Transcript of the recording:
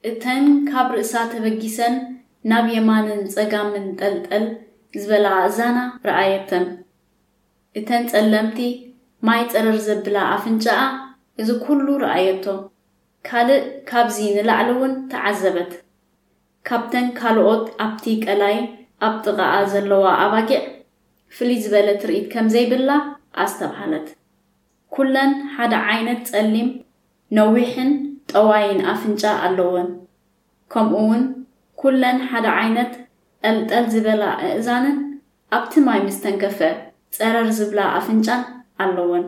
እተን ካብ ርእሳ ተበጊሰን ናብ የማንን ጸጋምን ጠልጠል ዝበላ ኣእዛና ረኣየተን። እተን ጸለምቲ ማይ ጸረር ዘብላ ኣፍንጫኣ እዚ ኩሉ ረኣየቶ። ካልእ ካብዚ ንላዕሊ እውን ተዓዘበት። ካብተን ካልኦት ኣብቲ ቀላይ ኣብ ጥቓኣ ዘለዋ ኣባጊዕ ፍልይ ዝበለ ትርኢት ከም ዘይብላ ኣስተብሃለት። ኩለን ሓደ ዓይነት ጸሊም ነዊሕን ጠዋይን ኣፍንጫ ኣለወን። ከምኡ እውን ኩለን ሓደ ዓይነት ጠልጠል ዝበላ ኣእዛንን ኣብቲ ማይ ምስ ተንከፈ ጸረር ዝብላ ኣፍንጫን ኣለወን።